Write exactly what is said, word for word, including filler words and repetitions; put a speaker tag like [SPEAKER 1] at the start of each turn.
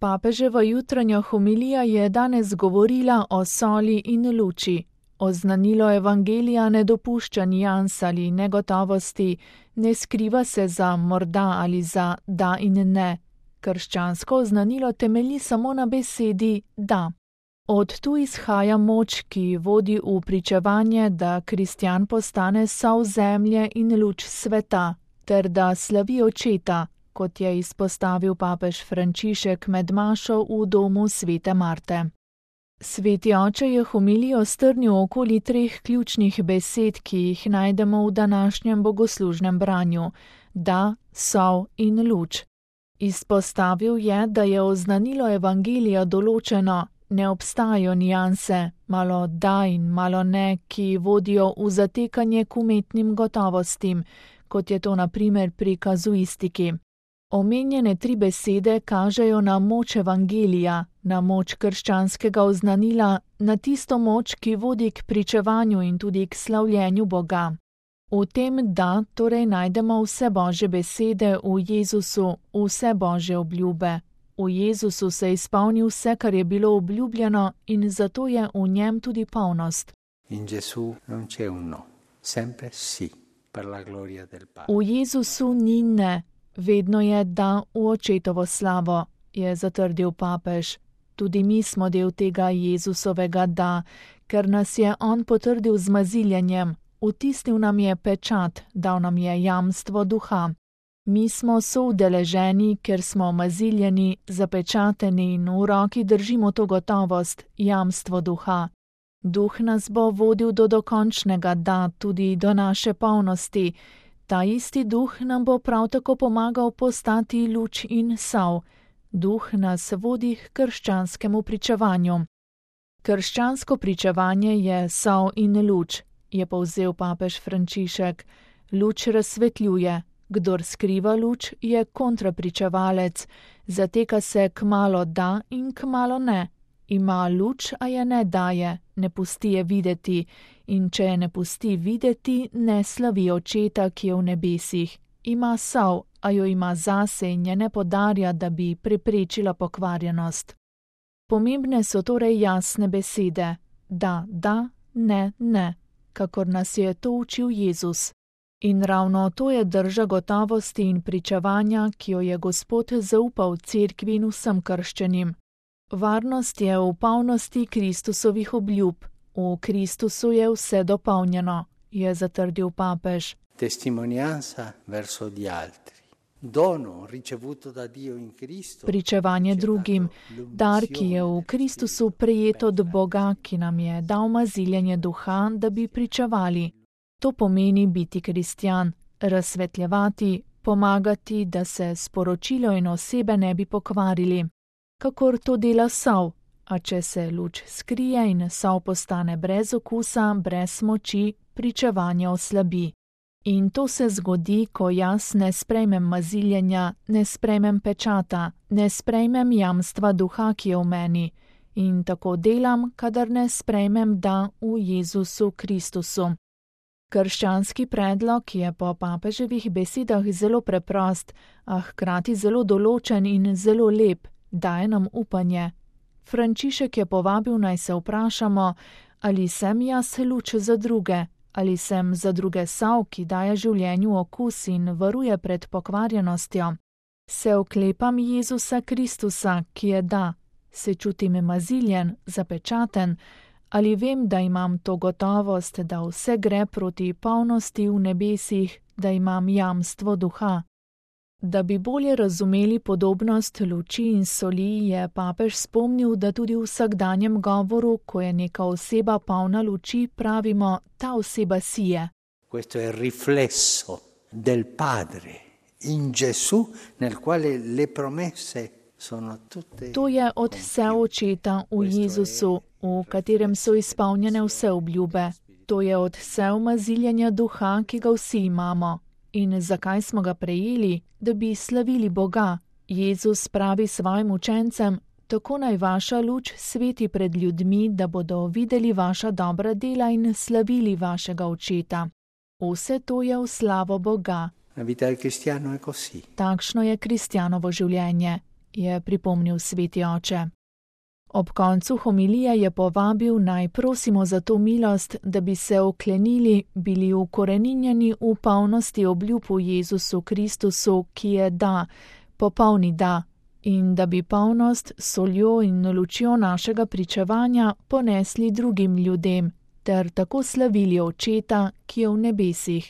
[SPEAKER 1] Papeževa jutranja homilija je danes govorila o soli in luči. Oznanilo evangelija ne dopušča nians ali negotovosti, ne skriva se za morda ali za da in ne. Krščansko oznanilo temelji samo na besedi da. Od tu izhaja moč, ki vodi v pričevanje, da kristjan postane sol zemlje in luč sveta, ter da slavi očeta, kot je izpostavil papež Frančišek med mašo v domu svete Marte. Sveti oče je homilijo strnil okoli treh ključnih besed, ki jih najdemo v današnjem bogoslužnem branju: da, sol in luč. Izpostavil je, da je oznanilo evangelija določeno, ne obstajajo nianse, malo da in malo ne, ki vodijo v zatekanje k umetnim gotovostim, kot je to na primer pri kazuistiki. Omenjene tri besede kažejo na moč evangelija, na moč krščanskega oznanila, na tisto moč, ki vodi k pričevanju in tudi k slavljenju Boga. V tem da torej najdemo vse Božje besede v Jezusu, vse Božje obljube. V Jezusu se izpolni vse, kar je bilo obljubljeno, in zato je v njem tudi polnost.
[SPEAKER 2] In Gesù non c'è un no, sempre sì, per la gloria del Padre.
[SPEAKER 1] V Jezusu ni ne, vedno je da v očetovo slavo, je zatrdil papež. Tudi mi smo del tega Jezusovega da, ker nas je on potrdil z maziljenjem, vtisnil nam je pečat, dal nam je jamstvo duha. Mi smo soudeleženi, ker smo maziljeni, zapečateni in v roki držimo to gotovost, jamstvo duha. Duh nas bo vodil do dokončnega da, tudi do naše polnosti. Ta isti duh nam bo prav tako pomagal postati luč in sol. Duh nas vodi k krščanskemu pričevanju. Krščansko pričevanje je sol in luč, je povzel papež Frančišek. Luč razsvetljuje. Kdor skriva luč, je kontrapričevalec, zateka se kmalo da in kmalo ne. Ima luč, a je ne daje, ne pusti je videti, in če je ne pusti videti, ne slavi očeta, ki je v nebesih. Ima sol, a jo ima zase in je ne podarja, da bi preprečila pokvarjenost. Pomembne so torej jasne besede, da, da, ne, ne, kakor nas je to učil Jezus. In ravno to je drža gotovosti in pričevanja, ki jo je Gospod zaupal cerkvi in vsem krščenim. Varnost je v polnosti Kristusovih obljub. V Kristusu je vse dopolnjeno, je zatrdil papež.
[SPEAKER 2] Testimonianza verso gli altri. Dono ricevuto da Dio in Cristo.
[SPEAKER 1] Pričevanje drugim, dar, ki je v Kristusu prejet od Boga, ki nam je dal maziljenje duha, da bi pričevali. To pomeni biti kristjan, razsvetljevati, pomagati, da se sporočilo in osebe ne bi pokvarili. Kakor to dela sol, a če se luč skrije in sol postane brez okusa, brez moči, pričevanje oslabi. In to se zgodi, ko jaz ne sprejmem maziljenja, ne sprejmem pečata, ne sprejmem jamstva duha, ki je v meni. In tako delam, kadar ne sprejmem da v Jezusu Kristusu. Krščanski predlog je po papeževih besedah zelo preprost, a hkrati zelo določen in zelo lep, daje nam upanje. Frančišek je povabil, naj se vprašamo, ali sem jaz luč za druge, ali sem za druge sol, ki daje življenju okus in varuje pred pokvarjenostjo. Se oklepam Jezusa Kristusa, ki je da, se čutim maziljen, zapečaten, ali vem, da imam to gotovost, da vse gre proti polnosti v nebesih, da imam jamstvo duha. Da bi bolje razumeli podobnost luči in soli, je papež spomnil, da tudi v vsakdanjem govoru, ko je neka oseba polna luči, pravimo, ta oseba sije.
[SPEAKER 2] Questo è il riflesso del Padre in Gesù, nel quale le promesse sono tutte.
[SPEAKER 1] To je od vse očeta v Jezusu, v katerem so izpolnjene vse obljube. To je od vse umaziljenja duha, ki ga vsi imamo. In zakaj smo ga prejeli? Da bi slavili Boga. Jezus pravi svojim učencem, tako naj vaša luč sveti pred ljudmi, da bodo videli vaša dobra dela in slavili vašega očeta. Vse to je v slavo Boga.
[SPEAKER 2] La vita del cristiano è così.
[SPEAKER 1] Takšno je kristjanovo življenje. je pripomnil sveti oče. Ob koncu homilije je povabil, naj prosimo za to milost, da bi se oklenili, bili ukoreninjeni v polnosti obljub v Jezusu Kristusu, ki je da, popolni da, in da bi polnost, soljo in lučjo našega pričevanja ponesli drugim ljudem, ter tako slavili Očeta, ki je v nebesih.